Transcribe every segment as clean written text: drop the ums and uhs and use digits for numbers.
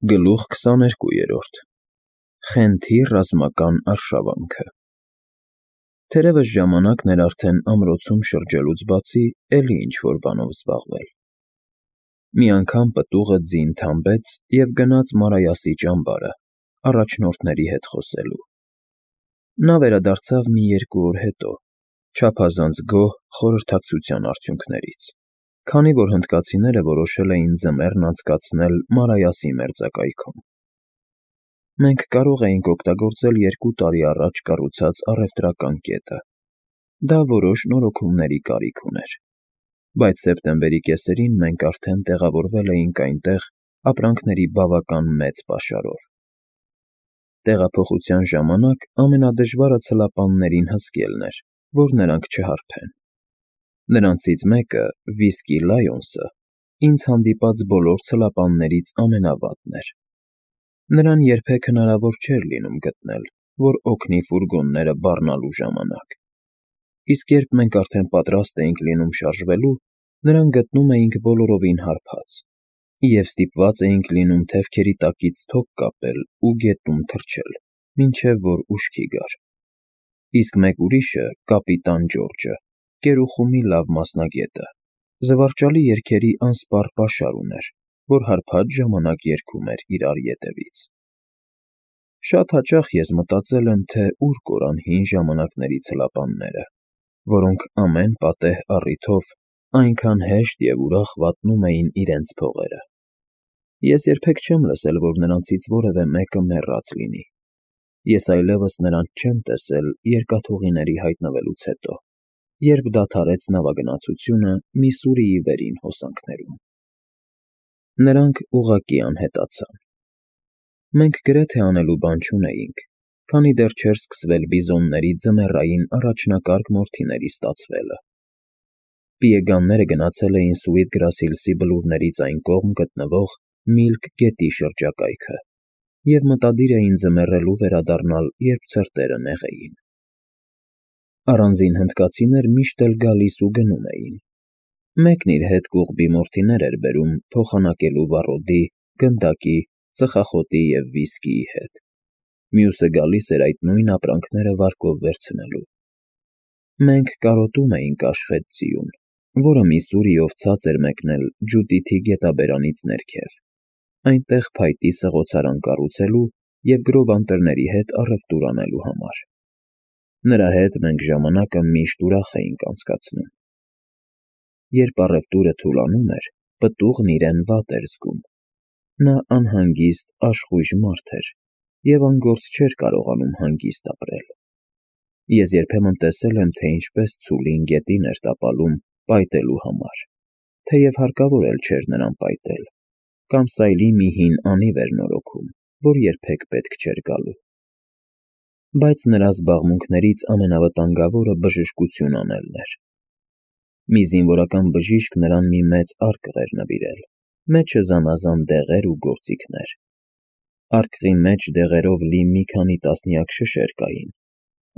Գլուխ 22. Խենթի ռազմական արշավանքը։ Թերևս ժամանակն էր արդեն ամրոցում շրջելուց բացի էլի ինչ-որ բանով զբաղվել։ Մի անգամ պտուղը ձին թամբեց և գնաց Մարայասի ճամբարը, առաջնորդների հետ խոսելու։ Նա վերադարձավ մի 2 օր հետո, չափազանց գոհ խորհրդակցության արդյունքներից, քանի որ հնդկացիները որոշել էին ձմեռն անցկացնել Մարայասի մերձակայքում։ Մենք կարող էինք օգտագործել 2 տարի առաջ կառուցած առևտրական կետը։ Դա որոշ նորոգումների կարիք ուներ, բայց սեպտեմբերի կեսերին մենք արդեն տեղավորվել էինք այնտեղ ապրանքների բավական մեծ պաշարով։ Տեղափոխության ժամանակ ամենադժվարը ցլապաններին հսկելն էր, որ նրանք չհարբեն։ Նրանցից մեկը՝ Վիսկի Լայոնսը, ինձ հանդիպած բոլոր ցլապաններից ամենավատն էր։ Նրան երբեք հնարավոր չէր լինում գտնել, որ օգնի ֆուրգոնները բառնալու ժամանակ։ Իսկ երբ մենք արդեն պատրաստ էինք լինում շարժվելու, նրան գտնում էինք բոլորովին հարբած, և ստիպված էինք լինում թևքերի տակից թոք կապել ու գետում թռչել, մինչև որ ուշքի գար։ Իսկ մեկ ուրիշը՝ կապիտան Ջորջը, կերուխումի լավ մասնագետը, զվարճալի երգերի անսպառ պաշար ուներ, որ հարբած ժամանակ երգում էր իրար ետևից։ Շատ հաճախ ես մտածել եմ, թե ուր կորան հին ժամանակների ցլապանները, որոնք ամեն պատեհ առիթով այնքան հեշտ և ուրախ վատնում էին իրենց փողերը։ Ես երբեք չեմ լսել, որ նրանցից որևէ մեկը մեռած լինի։ Ես այլևս նրանց չեմ տեսել երկաթուղիների հայտնվելուց հետո, երբ դադարեց նավագնացությունը Միսսուրիի վերին հոսանքներում։ Նրանք ուղղակի անհետացան։ Մենք գրեթե անելու բան չունեինք, քանի դեռ չէր սկսվել բիզոնների ձմեռային առաջնակարգ մորթիների ստացվելը։ Պիեգանները գնացել էին Սուիթգրաս Հիլսի բլուրներից այն կողմ գտնվող Միլք գետի շրջակայքը և մտադիր էին ձմեռելու վերադառնալ, երբ ցրտերը նեղեին։ Առանձին հնդկացիներ միշտ էլ գալիս ու գնում էին։ Մեկն իր հետ կուղբի մորթիներ էր բերում փոխանակելու վառոդի, գնդակի, ծխախոտի և վիսկիի հետ։ Մյուսը գալիս էր այդ նույն ապրանքները վարկով վերցնելու։ Մենք կարոտում էինք Աշխետ ձիուն, որը Միսսուրիով ցած էր մեկնել Ջուդիթի գետաբերանից ներքև, այնտեղ փայտի սղոցարան կառուցելու և գրովանտերների հետ առևտուր անելու համար։ Նրա հետ մենք ժամանակը միշտ ուրախ էինք անցկացնում։ Երբ առևտուրը թուլանում էր, պտուղն իրեն վատ էր զգում։ Նա անհանգիստ, աշխույժ մարդ էր և անգործ չէր կարողանում հանգիստ ապրել։ Ես երբեմն տեսել եմ, թե ինչպես ցուլին գետին էր տապալում պայտելու համար, թեև հարկավոր էլ չէր նրան պայտել, կամ սայլի մի հին անիվ էր նորոգում, որ երբեք պետք չէր գալու։ Բայց նրա զբաղմունքներից ամենավտանգավորը բժշկություն անելն էր։ Մի զինվորական բժիշկ նրան մի մեծ արկղ էր նվիրել, մեջը զանազան դեղեր ու գործիքներ։ Արկղի մեջ դեղերով լի մի քանի տասնյակ շշեր կային,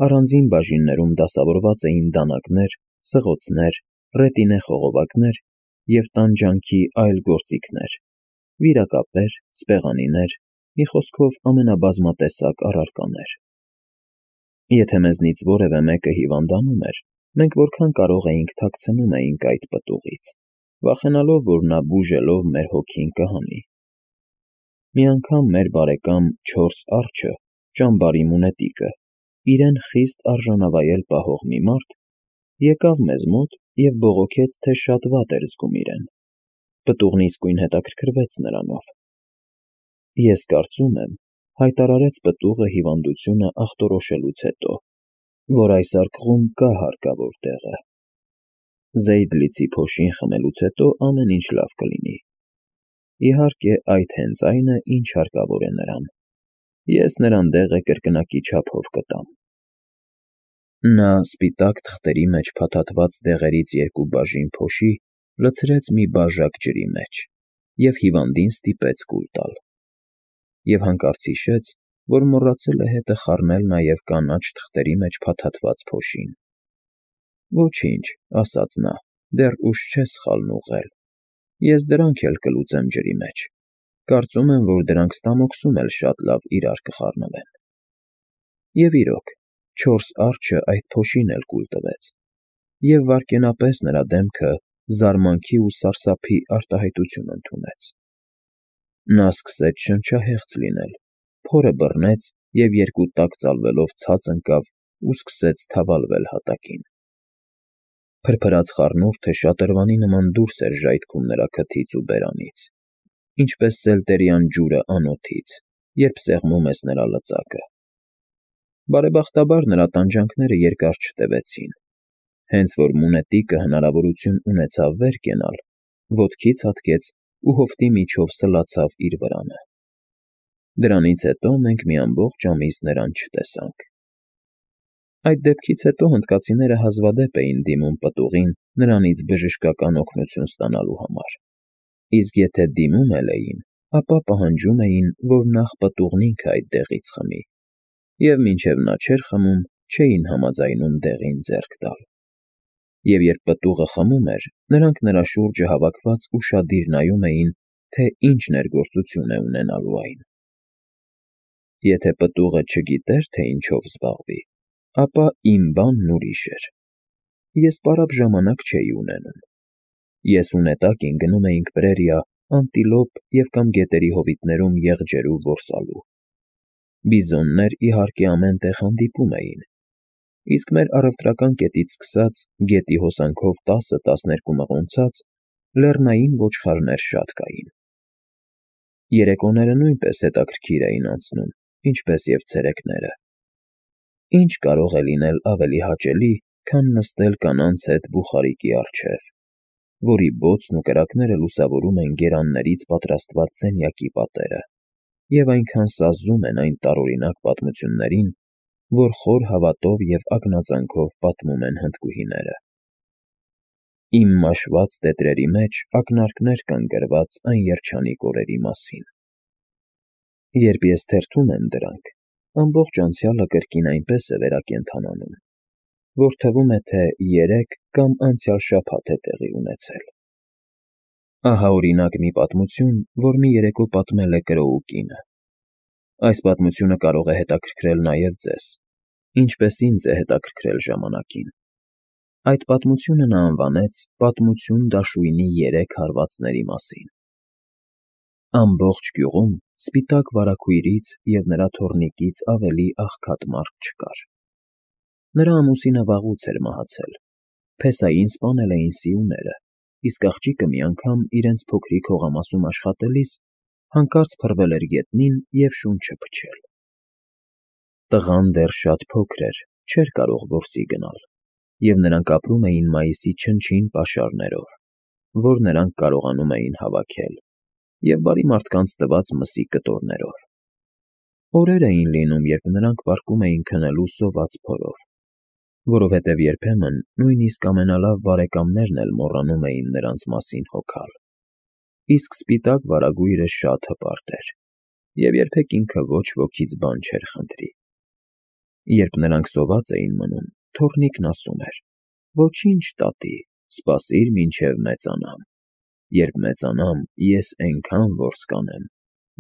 առանձին բաժիններում դասավորված էին դանականեր, սղոցներ, ռետինե խողովակներ և տանջանքի այլ գործիքներ, վիրակապեր, սպեղանիներ, մի խոսքով ամենաբազմատեսակ առարկաներ։ Եթե մեզնից որևէ մեկը հիվանդանում էր, մենք որքան կարող էինք թաքցնում էինք այդ պտուղից, վախենալով, որ նա բուժելով մեր հոգին կհանի։ Մի անգամ մեր բարեկամ Չորս Արջը, ճամբարի մունետիկը, իրեն խիստ արժանավայել պահող մի մարդ, եկավ մեզ մոտ և բողոքեց, թե շատ վատ էր զգում իրեն։ Պտուղն իսկույն հետաքրքրվեց նրանով։ Ես կարծում եմ, հայտարարեց պտուղը հիվանդությունը ախտորոշելուց հետո, որ այս արկղում կա հարկավոր տեղը։ Զեյդլիցի փոշին խմելուց հետո ամեն ինչ լավ կլինի։ Իհարկե, այդ հենց այն է, ինչ հարկավոր է նրան։ Ես նրան դեղը կրկնակի չափով կտամ։ Նա սպիտակ թղթերի մեջ փաթաթված դեղերից 2 բաժին փոշի լցրեց մի բաժակ ջրի մեջ և հիվանդին ստիպեց կուլ տալ։ Եվ հանկարծ հիշեց, որ մոռացել է հետը խառնել նաև կանաչ թղթերի մեջ փաթաթված փոշին։ Ոչինչ, ասաց նա, դեռ ուշ չէ սխալն ուղղել։ Ես դրանք էլ կլուծեմ ջրի մեջ։ Կարծում եմ, որ դրանք ստամոքսում էլ շատ լավ իրար կխառնվեն։ Եվ իրոք, 4 արջը այդ փոշին էլ կուլ տվեց, և վայրկենապես նրա դեմքը զարմանքի ու սարսափի արտահայտություն ընդունեց։ Նա սկսեց շնչահեղձ լինել, փորը բռնեց և երկու տակ ծալվելով ցած ընկավ ու սկսեց թավալվել հատակին։ Փրփրած խառնուրդը շատրվանի նման դուրս էր ժայթքում նրա քթից ու բերանից, ինչպես սելտերյան ջուրը անոթից, երբ սեղմում ես նրա լծակը։ Բարեբախտաբար նրա տանջանքները երկար չտևեցին, հենց որ մունետիկը հնարավորություն ունեցավ վեր կենալ, ոտքից հատկեց ու հովտի միջով սլացավ իր վրանը։ Դրանից հետո մենք մի ամբողջ ամիս նրան չտեսանք։ Այդ դեպքից հետո հնդկացիները հազվադեպ էին դիմում պտուղին նրանից բժշկական օգնություն ստանալու համար, իսկ եթե դիմում էլ էին, ապա պահանջում էին, որ նախ պտուղն ինքը այդ դեղից խմի, և մինչև նա չէր խմում, չէին համաձայնում դեղին ձեռք տալ։ Եվ երբ պտուղը խմում էր, նրանք նրա շուրջը հավաքված ուշադիր նայում էին, թե ինչ ներգործություն է ունենալու այն։ Եթե պտուղը չգիտեր, թե ինչով զբաղվի, ապա իմ բանն ուրիշ էր։ Ես պարապ ժամանակ չէի ունենում։ Ես ու նետակին գնում էինք պրերիա, անտիլոպ և կամ գետերի հովիտներում եղջերու որսալու։ Բիզոններ, իհարկե, ամեն տեղ հանդիպում էին, իսկ մեր առևտրական կետից սկսած գետի հոսանքով 10-12 մղոնցած լեռնային ոչխարներ շատ կային։ Երեկոները նույնպես հետաքրքիր էին անցնում, ինչպես և ցերեկները։ Ինչ կարող է լինել ավելի հաճելի, քան նստել կանանց հետ բուխարիկի առջև, որի բոցն ու կրակները լուսավորում են գերաններից պատրաստված սենյակի պատերը և այնքան սազում են այն տարօրինակ պատմություններին, որ խոր հավատով և ակնածանքով պատմում են հնդկուհիները։ Իմ մաշված տետրերի մեջ ակնարկներ կան գրված այն երջանիկ օրերի մասին։ Երբ ես թերթում եմ դրանք, ամբողջ անցյալը կրկին այնպես է վերակենդանանում, որ թվում է, թե երեկ կամ անցյալ շաբաթ է տեղի ունեցել։ Ահա, օրինակ, մի պատմություն, որ մի երեկո պատմել է կրոու կինը։ Այս պատմությունը կարող է հետաքրքրել նաև ձեզ, ինչպես ինձ է հետաքրքրել ժամանակին։ Այդ պատմությունը նա անվանեց «Պատմություն դաշույնի 3 հարվածների մասին»։ Ամբողջ գյուղում սպիտակ վարագույրից և նրա թոռնիկից ավելի աղքատ մարդ չկար։ Նրա ամուսինը վաղուց էր մահացել, փեսային սպանել էին սիուները, իսկ աղջիկը մի անգամ իրենց փոքրիկ հողամասում աշխատելիս հանկարծ փռվել էր գետնին և շունչը փչել։ Տղան դեռ շատ փոքր էր, չէր կարող որսի գնալ, և նրանք ապրում էին մայիսի չնչին պաշարներով, որ նրանք կարողանում էին հավաքել, և բարի մարդկանց տված մսի կտորներով։ Օրեր էին լինում, երբ նրանք պառկում էին քնելու սոված փորով, որովհետև երբեմն նույնիսկ ամենալավ բարեկամներն էլ մոռանում էին նրանց մասին հոգալ։ Իսկ սպիտակ վարագույրը շատ հպարտ էր, և երբեք ինքը ոչ ոքից բան չէր խնդրի։ Երբ նրանք սոված էին մնում, թոռնիկն ասում էր. «Ոչինչ, տատի, սպասիր, մինչև մեծանամ։ Երբ մեծանամ, ես էնքան որս կանեմ,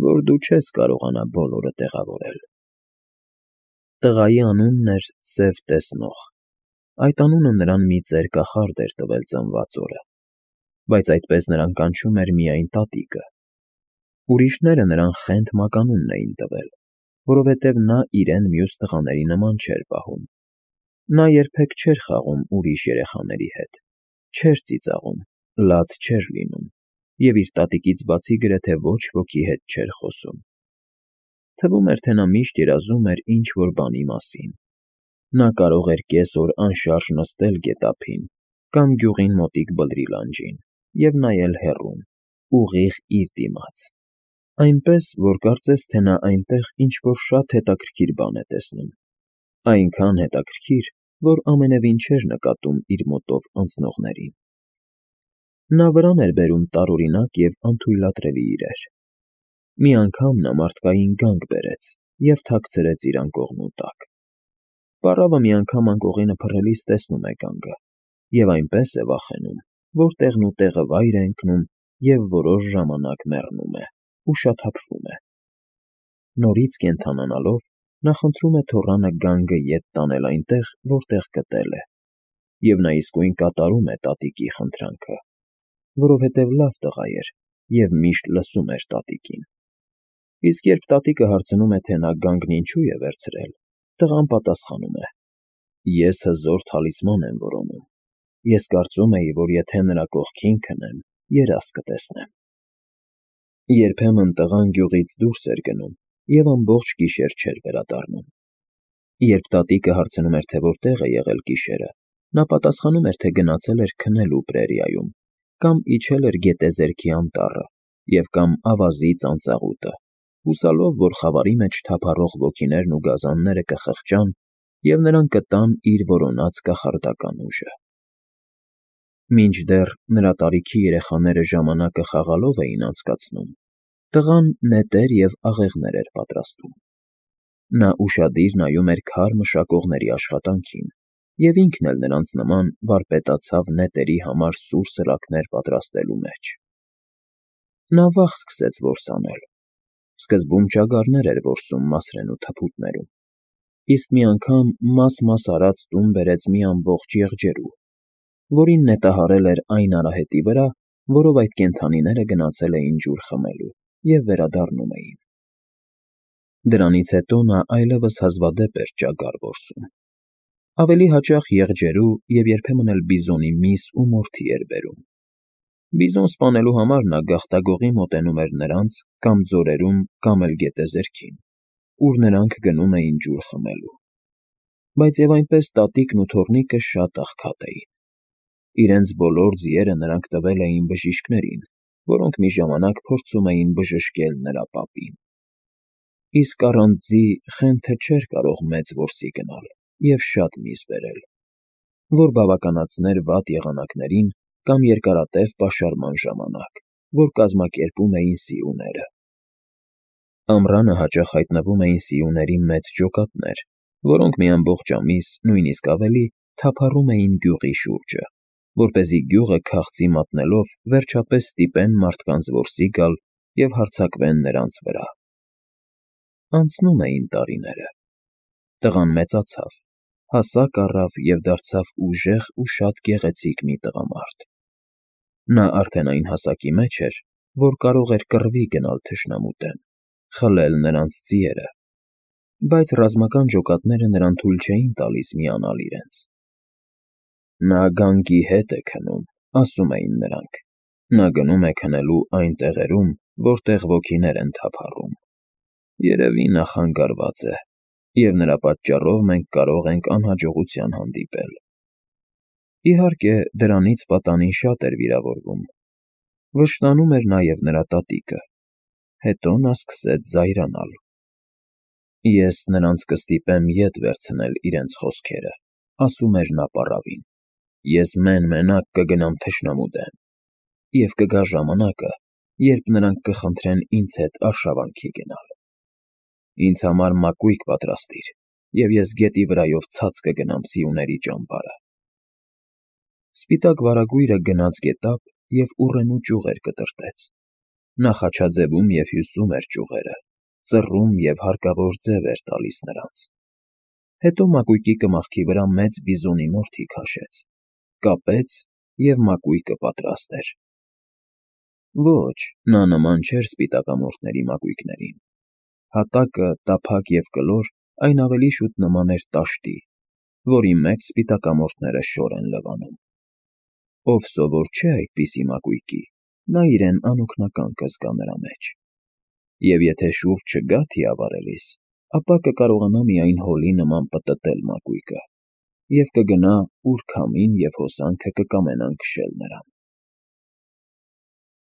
որ դու չես կարողանա բոլորը տեղավորել»։ Տղայի անունն էր Սև Տեսնող։ Այդ անունը նրան մի ծեր կախարդ էր տվել ծնված օրը, բայց այդպես նրան կանչում էր միայն տատիկը։ Ուրիշները նրան Խենթ մականունն էին տվել, որովհետև նա իրեն մյուս տղաների նման չէր պահում։ Նա երբեք չէր խաղում ուրիշ երեխաների հետ, չէր ծիծաղում, լաց չէր լինում և իր տատիկից բացի գրեթե ոչ ոքի հետ չէր խոսում։ Թվում էր, թե նա միշտ երազում էր ինչ-որ բանի մասին։ Նա կարող էր կես օր անշարժ նստել գետափին կամ գյուղին մոտիկ բլրի լանջին և նայել հեռուն, ուղիղ իր դիմաց, այնպես, որ կարծես թե նա այնտեղ ինչ-որ շատ հետաքրքիր բան է տեսնում, այնքան հետաքրքիր, որ ամենևին չէր նկատում իր մոտով անցնողներին։ Նա վրան էր բերում տարօրինակ և անթույլատրելի իրեր։ Մի անգամ նա մարդկային գանք բերեց և թաքցրեց իր անկողնու տակ։ Պառավը մի անգամ անկողինը փռելիս տեսնում է գանգը և այնպես է վախենում, որ տեղնուտեղը վայր է ընկնում և որոշ ժամանակ մեռնում է, ու շաթափվում է։ Նորից կենդանանալով, նա խնդրում է թոռանը գանգը ետ տանել այնտեղ, որտեղ գտել է, և նա իսկույն կատարում է տատիկի խնդրանքը, որովհետև լավ տղա էր և միշտ լսում էր տատիկին։ Իսկ երբ տատիկը հարցնում է, թե նա գանգն ինչու է վերցրել, տղան պատասխանում է. «Ես հզոր թալիսման եմ որոնում։ Ես կարծում էի, որ եթե նրա կողքին քնեմ, երազ կտեսնեմ»։ Երբեմն տղան գյուղից դուրս էր գնում և ամբողջ գիշեր չէր վերադառնում։ Երբ տատիկը հարցնում էր, թե որտեղ է եղել գիշերը, նա պատասխանում էր, թե գնացել էր քնելու պրերիայում, կամ իջել էր գետեզերքի անտառը և կամ ավազի ծանծաղուտը, հուսալով, որ խավարի մեջ թափառող ոգիներն ու գազանները կխղճան և նրան կտան իր որոնած կախարդական ուժը։ Մինչդեռ նրա տարիքի երեխաները ժամանակը խաղալով էին անցկացնում, տղան նետեր և աղեղներ էր պատրաստում։ Նա ուշադիր նայում էր քար մշակողների աշխատանքին և ինքն էլ նրանց նման վարպետացավ նետերի համար սուր սրաքներ պատրաստելու մեջ։ Նա վաղ սկսեց որս անել։ Սկզբում ճագարներ էր որսում մասրենու թփուտներում, իսկ մի անգամ մաս արած տուն բերեց մի ամբողջ եղջերու, որին նետահարել էր այն արահետի վրա, որով այդ կենդանիները գնացել էին ջուր խմելու և վերադառնում էին։ Դրանից հետո նա այլևս հազվադեպ էր ճագար որսում։ Ավելի հաճախ եղջերու և երբեմն էլ բիզոնի միս ու մորթի էր բերում։ Բիզոն սպանելու համար նա գաղտագողի մոտենում էր նրանց կամ ձորերում կամ էլ գետեզերքին, ուր նրանք գնում էին ջուր խմելու։ Բայց և այնպես տատիկն ու թոռնիկը շատ աղքատ էին։ Իրենց բոլոր ձիերը նրանք տվել էին բժիշկներին, որոնք մի ժամանակ փորձում էին բժշկել նրա պապին։ Իսկ առանց ձի Խենթը չէր կարող մեծ որսի գնալ և շատ միս բերել, որ բավականացներ վատ եղանակներին կամ երկարատև պաշարման ժամանակ, որ կազմակերպում էին սիուները։ Ամռանը հաճախ հայտնվում էին սիուների մեծ ջոկատներ, որոնք մի ամբողջ ամիս, նույնիսկ ավելի, թափառում էին գյուղի շուրջը, որպեսզի գյուղը քաղցի մատնելով վերջապես ստիպեն մարդկանց որսի գալ և հարձակվեն նրանց վրա։ Անցնում էին տարիները։ Տղան մեծացավ, հասակ առավ և դարձավ ուժեղ ու շատ գեղեցիկ մի տղամարդ։ Նա արդեն այն հասակի մեջ էր, որ կարող էր կռվի գնալ թշնամու դեմ, խլել նրանց ձիերը, բայց ռազմական ջոկատները նրան թույլ չէին տալիս միանալ իրենց։ Նա գանգի հետ է քնում, ասում էին նրանք։ Նա գնում է քնելու այն տեղերում, որտեղ ոգիներ են թափառում։ Երևի նա խանգարված է, և նրա պատճառով մենք կարող ենք անհաջողության հանդիպել։ Իհարկե, դրանից պատանին շատ էր վիրավորվում։ Վշտանում էր նաև նրա տատիկը։ Հետո նա սկսեց զայրանալ։ Ես նրանց կստիպեմ ետ վերցնել իրենց խոսքերը, ասում էր նա պառավին։ Ես մեն֊մենակ կգնամ թշնամու դեմ, և կգա ժամանակը, երբ նրանք կխնդրեն ինձ հետ արշավանքի գնալ։ Ինձ համար մակույկ պատրաստիր, և ես գետի վրայով ցած կգնամ սիուների ճամբարը։ Սպիտակ վարագույրը գնաց գետափ և ուռենու ճյուղեր կտրտեց։ Նա խաչաձևում և հյուսում էր ճյուղերը, ծռում և հարկավոր ձև էր տալիս նրանց։ Հետո մակույկի կմախքի վրա մեծ բիզոնի մորթի քաշեց, կապեց և մակույկը պատրաստ էր։ Ոչ, նա նման չէր սպիտակամորթների մակույկներին։ Հատակը, տափակ և կլոր, այն ավելի շուտ նման էր տաշտի, որի մեջ սպիտակամորթները շոր են լվանում։ Ով սովոր չէ այդպիսի մակույկի, նա իրեն անօգնական կզգա նրա մեջ։ Եվ եթե շուրջ չգա թիավարելիս, ապա կկարողանա միայն հոլի նման պտտել մակույկը և կգնա, ուր քամին և հոսանքը կկամենան քշել նրան։